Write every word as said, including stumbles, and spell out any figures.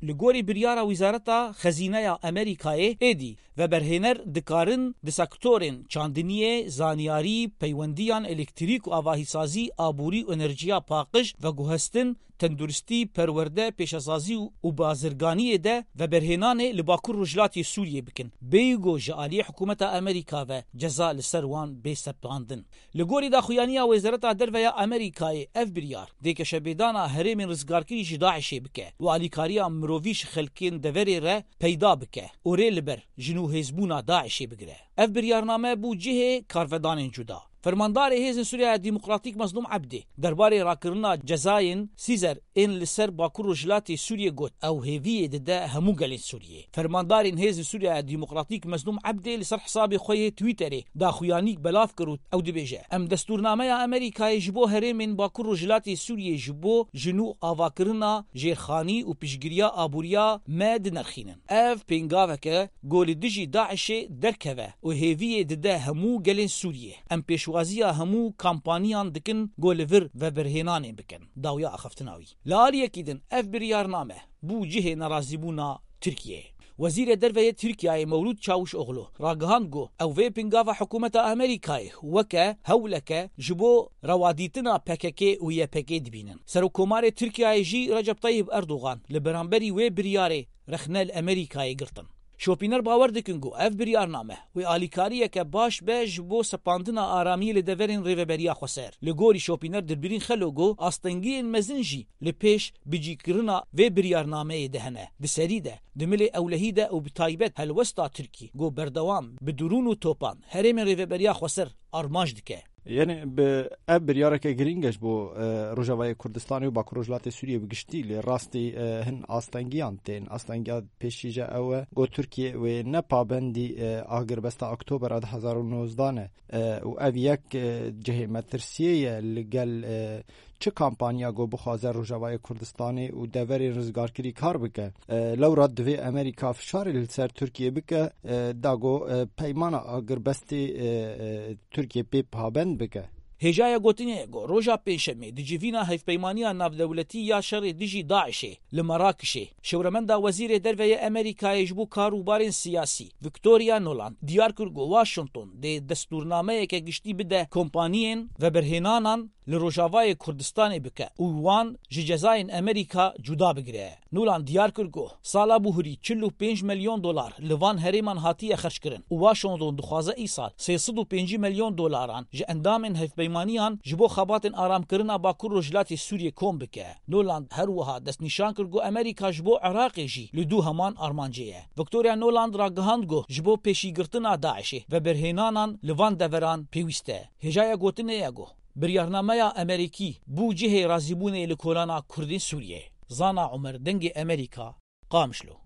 Li gorî biryara Wizareta Xezîneya Amerîkayê, êdî veberhêner dikarin di sektorên çandiniyê, zanyarî, peywendiyan, elektrîk û avahîsazî, aborî û enerjiya paqij, veguhestin, tenduristî, perwerde, pêşesazî û, û bazirganiyê de veberhênanê li Bakur Rojhilatê Sûriyê bikin, bêyî ku ji aliyê hikûmeta Amerîka ve ceza li ser wan bê sepandin. Li gorî daxuyaniya Wezareta Derve ya Amerîkayê, ev biryar dê keşebêdana herêmên rizgarkirî ji DAIŞê bike û alîkariya mirovî ji xelkên deverê re peyda bike û rê li ber jin û hêzbûna DAIŞê bigire. Ev biryarname bû cihê karvedanên cuda. Fermandarê Hêzên Sûriya Demokratîk Mezlûm Ebdê derbarê rakirina cezayên Sîzer ên li ser Bakur Rojhilatê Sûriyê got, ew hêviyê dide hemû gelên Sûriyê. Fermandarên Hêzên Sûriya Demokratîk Mezlûm Ebdê li ser hesabê xwe yê Twitterê daxuyanîk belav kir û ew dibêje, em destûrnameya Amerîkayê ji bo herêmên Bakur Rojhilatê Sûriyê ji bo jin û avakirina jêrxanî û piştgiriya aboriya me dinirxînin. Ev pêngavek e ku li dijî DAIŞê derkeve û hêviyê dide hemû gelên Sûriyê. Em pêşwaziya hemû kampaniyan dikin ku li vir veberhênanê bikin. Dawiya axaftina wî. Li aliyekî din ev biryarname bû cihê nerazîbûna Tirkiyeyê. Wezîrê Derve yê Tirkiyeyê Mewlûd Çavuşoglu ragihand ku ew vê pingava hikûmeta Amerîkayê weke hewleke ji bo rewadîtina P K K û Y P G dibînin. Serokkomarê Tirkiyeyê jî Recep Tayyip Erdogan li beramberî wê biryarê rexne li Amerîkayê girtin. Şopîner bawer dikin ku ev biryarname wê alîkariyeke baş be ji bo sepandina aramiyê li deverên Rêveberiya Xweser. Li gorî şopîner Dilbirîn Xelo ku astengiyên mezin jî li pêş bicîkirina vê biryarnameyê de hene. Di serî de, di milê ewlehî de û bi taybet helwesta Tirkî ku berdewam bi drûn û topan herêmên Rêveberiya Xweser armanc dike. Yanî bi ev biryareke girîng e ji bo, e, Rojavayê Kurdistanê û Bakur Rojhilatê Sûriyê bi giştî, lê rastî, e, hin astengiyan tên. Astengiya pêşî jî ew e ku Tirkiye wê ne pabendî, e, agirbesta Oktobera du hezar û nozdeh ne, e, û ev yek, e, cihê metirsiyê ye li gel, e, çi kampanya ku bixwaze Rojavayê Kurdistanê û deverên rizgarkirî kar bike. E, lewra divê Amerîka fişarê li ser Tirkiye bike, e, da ku, e, peymana agirbestê, e, e, Tirkiye pê pabend bike. Hêjaya gotinê ye ku roja Pêncşemê di civîna Hevpeymaniya Navdewletî ya Şerê Dijî DAIŞê li Merakişê, şewremenda Wezîrê Derve yê Amerîkayê ji bo karûbarên siyasî, Victoria Nuland, diyar kir ku Washington dê destûrnameyeke giştî bide kompaniyên veberhênanan li Rojavayê Kurdistanê bike û wan ji cezayên Amerîka cuda bigire. Nuland diyar kir ku sala buhurî çil û pênc milyon dolar li van herêman hatiye xerckirin û Washington dixwaze îsal sê sed û pêncî milyon dolaran ji endamên hevpeymaniyan ji bo xebatên aramkirina Bakur Rojhilatê Sûriyê kom bike. Nuland her wiha destnîşan kir ku Amerîka ji bo Iraqê jî li dû heman armancê ye. Victoria Nuland ragihand ku ji bo pêşîgirtina DAIŞê veberhênanan li van deveran pêwîst e. Hêjaya gotinê ye ku biryarnameya Amerîkî bû cihê razîbûnê li kolana Kurdên Sûriyê. Zana Omer, Dengê Amerîka, Qamişlo.